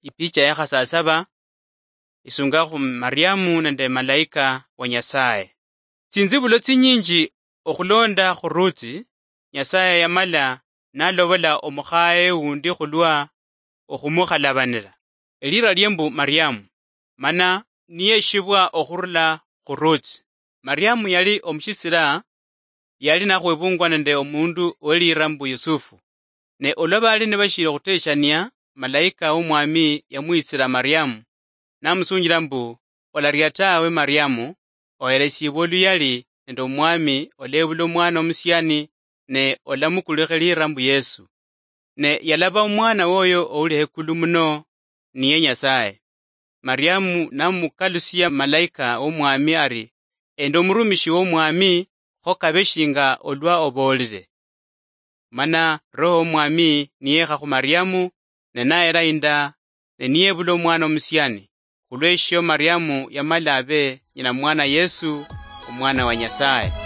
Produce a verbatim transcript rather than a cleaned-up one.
ipicha ya khasasaba, isunga khu Mariamu nende malaika wa Nyasaye. Tsinzibulo tsinyinji okhulonda khu Ruthi, Nyasaye yamala nalobola omukhaye wundi khulwa okhumukhalabanira. Elira lie mbu Mariamu, mana niyeshibwa okhurula khu Ruthi. Mariamu yali omushisira, yali nakhwebungwa nende omundu welira mbu Yusufu. Ne olwa bali nibashili okhuteshania, malaika womwami yamwitsira Mariamu, namusunjila mbu, "Olaria tawe Mariamu, oheresibwe oluyali nende omwami, olebula omwana omusiani, ne olamukulikhe lira mbu Yesu. Ne yalaba omwana woyo ouli hekulu muno, niye Nyasaye." Mariamu namukalusia malaika womwami ari, "Endi omurumishi womwami, kho kabe shinga olwa oboolire." Mana Roho womwami niyekha khu Mariamu, ne nayera inda, ne niyebula omwana omusiani. Khulweshio Mariamu yamala abe nyina mwana Yesu, omwana wa Nyasaye.